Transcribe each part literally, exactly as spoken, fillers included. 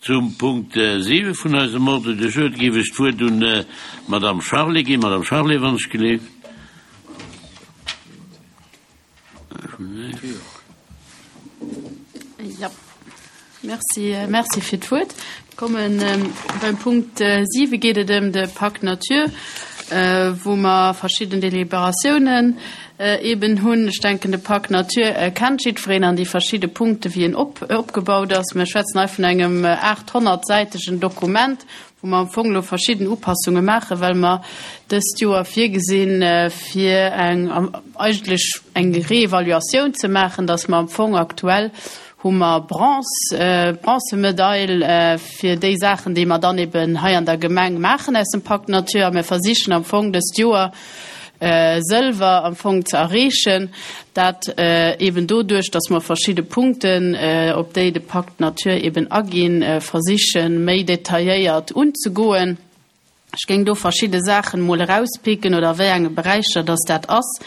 Zum Punkt siwe vun eisem Ordre du jour géif ech d'Wuert un d'Madame Charlé ginn. Madame Charlé, wann ech geleeft. Jo, merci, merci fir d'Wuert. Kommen beim Punkt siwe geet et ëm de Pacte Nature, wou mer verschidden Deliberatiounen eben hunn. Ech denken, de Pacte Nature kennt jiddwereen an déi verschidde Punkte wéi en op, opgebaut ass. Mir schwätzen hei vun engem aathonnertsäitegen Dokument, wou mer am Fong elo verschidden Upassunge maachen, well mer dëst Joer virgesinn, fir eng, eigentlech eng Reevaluatioun ze maachen, dass mer am Fong aktuell hu mer Bronze, Bronzemedail fir déi Saachen, déi mer dann eben hei an der Gemeng maachen aus dem Pacte Nature. A mir versichen am Fong dëst Joer Sëlwer am Fong ze erreechen, dat eben doduerch, dass mer verschidde Punkten, op déi de Pacte Nature eben aginn, versichen, méi detailléiert unzegoen. Ech géing do verschidde Saachen emol erauspicken oder a wéi enge Beräicher dass dat ass.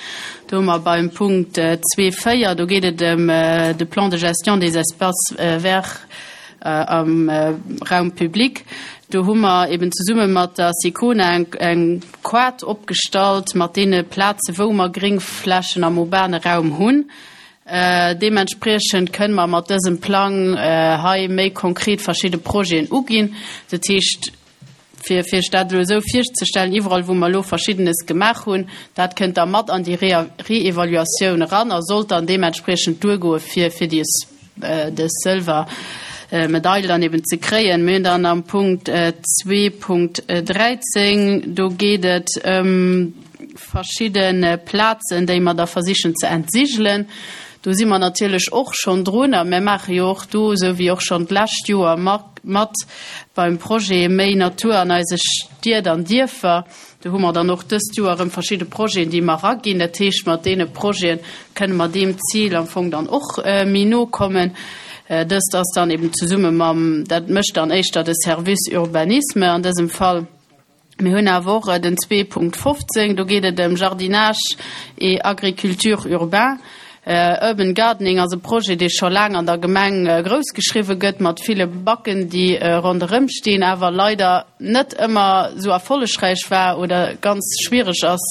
Do hu mer beim Punkt zwee véier, do geet et ëm de Plan de gestion des espaces verts am Raum public. Do hu mer eben zesumme mat der Sicona eng, eng Quart opgestallt mat deene Plaze wou mer Gréngflächen am urbane Raum hunn. Deementspriechend kënne mer mat dësem Plang hei méi konkret verschidde Projeten uginn. Dat heescht, fir fir Iech dat elo esou virzestellen, iwwerall wou mer elo Verschiddenes gemaach hunn, dat kënnt da mat an déi Reevaluatioun eran a sollt dann deementspriechend duergoe fir fir déi dës Sëlwermedail dann eben ze kréien. Mir hunn dann am Punkt zwee Punkt dräizéng, do geet et ëm verschidde Plazen, déi mer da versichen ze entsigelen. Do si mer natierlech och schonn drun a mir maache jo och do, esou wéi och schonn d'lescht Joer, mat beim Projet Méi Natur an eise Stied an Dierfer. Do hu mer dann och dëst Joer erëm verschidde Projeten, déi mer eraginn. Dat heescht, mat deene Projete kënne mer deem Zil am Fong dann och méi no kommen. Dëst ass dann eben zesumme mam, dat mécht dann éischter de Service Urbanisme an dësem Fall. Mir hunn awer och den zwee Punkt fofzéng, do geet et ëm Jardinage et agriculture urbain. Urban Gardening ass e Projet, dee scho laang an der Gemeng groussgeschriwwe gëtt, mat ville Backen, déi ronderëm stinn, awer leider net ëmmer esou erfollegräich war oder ganz schwiereg ass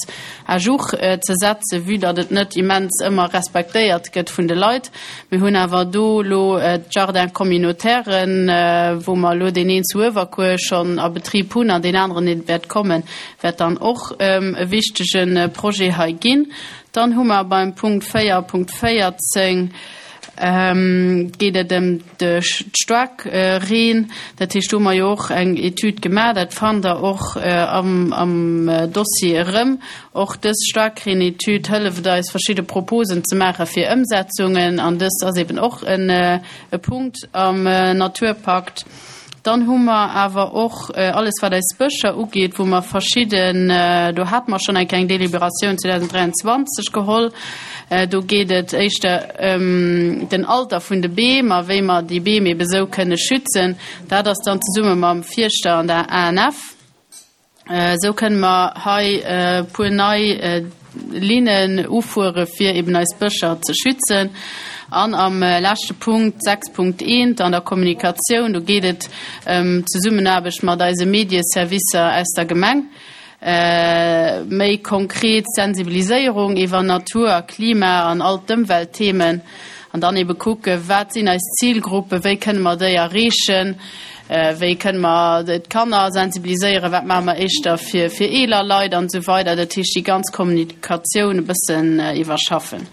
à jour ze setzen, vue datt et net immens ëmmer respektéiert gëtt vun de Leit. Mir hunn awer do elo d'Jardins communautairen, wou mer elo deen een zu Uewerkuer schonn a Betrib hunn an deen aneren, dee wäert kommen, wäert dann och e wichtege Projet hei ginn. Dann hu mer beim Punkt véier Punkt véierzéng, geet et ëm de Staarkreen. Dat heescht, do hu mer jo och eng Etüd gemaach, dat fannt Der och am Dossier erëm. Och dës Staarkreen-Etüd hëlleft eis, verschidde Proposen ze maache fir Ëmsetzungen, an dëst ass eben och e Punkt am Naturpakt. Dann hu mer awer och alles, wat eis Bëscher ugeet, wou mer verschidden, do hate mer schonn eng kleng Deliberatioun zweedausenddräianzwanzeg geholl, do geet et éischter ëm den Alter vun de Beem a wéi mer déi Beem ebe sou kënne schützen. Dat ass dann zesumme mam Fierschter an der A N F. Esou kënne mer hei e puer nei Linnen ufuere fir eben eis Bëscher ze schützen. An am leschte Punkt sechs Punkt eent an der Kommunikatioun, do geet et ëm d'Zesummenaarbecht mat eise Medieservicer aus der Gemeng, méi konkret Sensibiliséierung iwwer Natur a Klima an all d'Ëmweltthemen an dann ebe kucke wat sinn eis Zilgruppen, wéi kënne mer déi erreechen, wéi kënne mer d'Kanner sensibiliséieren, wat maache mer éischter fir fir eeler Leit an esou weider. Dat heescht déi ganz Kommunikatioun e bëssen iwwerschaffen.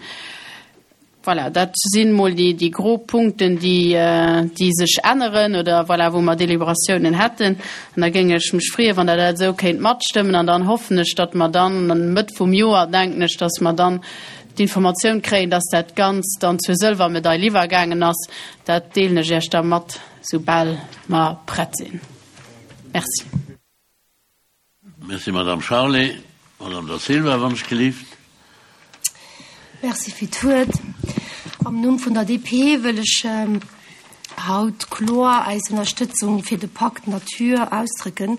Voilà, dat sinn mol déi déi grob Punkten, déi déi sech änneren oder voilà, wou mer Deliberatiounen hätten. An da géing ech mech freeën, wann Der dat esou kéint matstëmmen. An dann hoffen ech, datt mer dann Mëtt vum Joer, denken ech, datt mer dann d'Informatioun kréien, datt dat Ganzt dann zur Sëlwermedail iwwergaangen ass. Dat deelen ech Iech da mat, soubal mer prett sinn. Merci. Merci, Madame Charlé. Madame Da Silva, wann ech gelift. Merci fir d'Wuert. Am Numm vun der D P wëll ech haut kloer eis Ënnerstëtzung fir de Pacte Nature ausdrécken.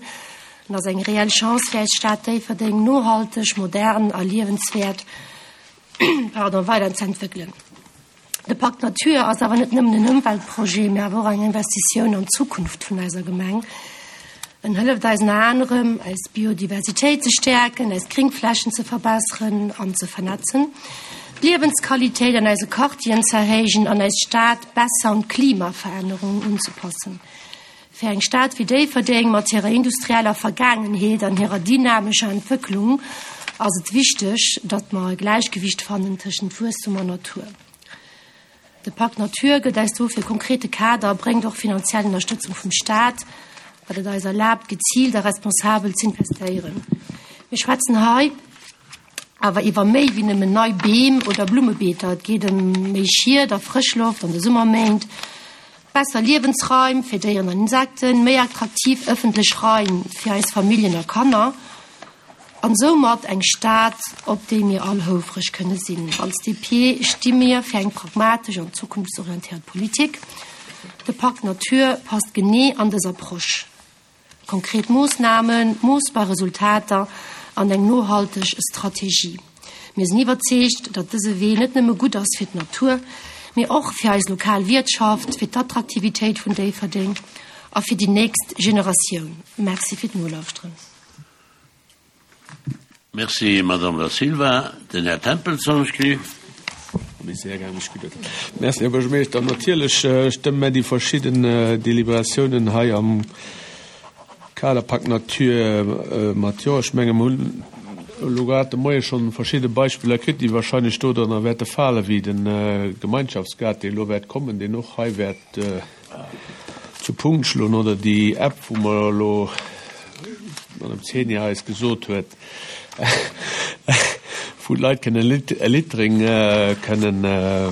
En ass eng reell Chance fir eis Stad Déifferdeng nohalteg, modern a liewenswäert, pardon, weiderzeentwéckelen. De Pakt Natur ass awer net nëmmen en Ëmweltprojet, mee awer och eng Investitioun an d'Zukunft vun eiser Gemeng. En hëlleft eis ënner anerem, eis Biodiversitéit ze stäerken, eis Gringflächen ze verbesseren an ze vernetzen, d'Liewensqualitéit an eise Quartieren ze erhéijen an eis Stad besser un d'Klimaverännerung unzepassen. Fir eng Stad wéi Déifferdeng mat hirer industrieller Vergaangenheet an hirer dynamescher Entwécklung ass et wichteg, datt mer e Gläichgewicht fannen tëschent Wuesstum an Natur. De Pakt Natur gëtt eis dofir e konkrete Kader a bréngt och finanziell Ënnerstëtzung vum Staat, wat et eis erlaabt, geziilt a responsabel z'investéieren. Mir schwätzen hei awer iwwer méi wéi nëmmen nei Beem oder Blummebeeter. Et geet ëm méi Schied a Frëschloft an de Summerméint, besser Liewensraim fir Déieren an Insekten, méi attraktiv ëffentlech Raim fir eis Familljen a Kanner an soumat eng Stad, op déi mir all houfreg kënne sinn. Als D P sti mir fir eng pragmatesch an zukunftsorientéiert Politik. De Pakt Natur passt genee an dës Approche. Konkret Moossnamen, moossbar Resultater an eng nohalteg Strategie. Mir sinn iwwerzeegt, datt dëse Wee net nëmme gutt ass fir d'Natur, mee och fir eis lokal Wiertschaft, fir d'Attraktivitéit vun Déifferdeng a fir déi nächst Generatioun. Merci fir d'Nolauschteren. Merci, Madame Da Silva. Den Här Tempels, alsjeblieft. Merci, Här Buergermeeschter. Natierlech äh, stëmme mir déi verschidden äh, Deliberatiounen hei am Kader Pakt Natur äh, mat jo. Ech menge mir hunn elo grad de Moie schonn verschidde Beispiller kritt, déi warscheinlech do dann wäerte fale wéi den äh, Gemeinschaftsgaart, deen elo wäert kommen, deen och hei wäert äh, zu Punkt schloen oder déi App, wou mer elo Madame Zenia eis gesot huet, wou d'Leit kënne Littering äh, kënnen äh,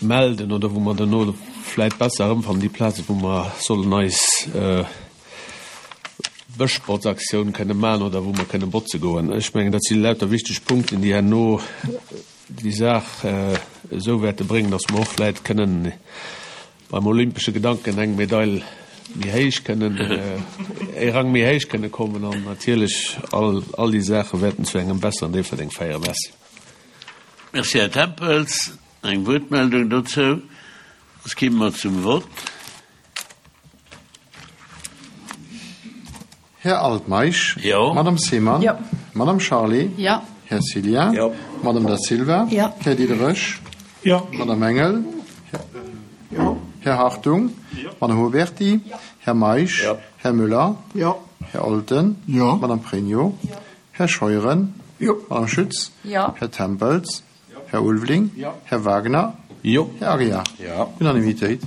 melden oder wou mer dann och vläicht besser erëmfannen déi Plaze wou mer sollen eis äh, Bëschbotzaktioun kënne maachen oder wou mer kënne botze goen. Ech mengen, dat si lauter wichteg Punkten, déi herno déi Saach äh, esou wäerte bréngen, dass mer och vläicht kënnen beim olympesche Gedanken eng Medail méi héich kënnen äh, e Rang méi héich kënne kommen an natierlech all, all déi Saache wäerten zu engem besseren Déifferdeng féieren. Merci. Merci, Här Tempels. Eng Wuertmeldung dozou. Soss komme mer zum Vott. Här Altmeisch. Jo. Madame Seemann. Jo. Madame Charlé. Jo. Här Cillien. Jo. Madame Da Silva. Jo. Här Diderich. Jo. Madame Engel. Jo. Här Hartung. Madame Huberty. Här Meisch. Jo. Här Müller. Jo. Här Olten. Jo. Madame Pregno. Här Scheuren. Jo. Madame Schütz. Jo. Här Tempels. Här Ulveling. Jo. Här Wagner. Jo. Här Aguiar. Jo. Unanimitéit.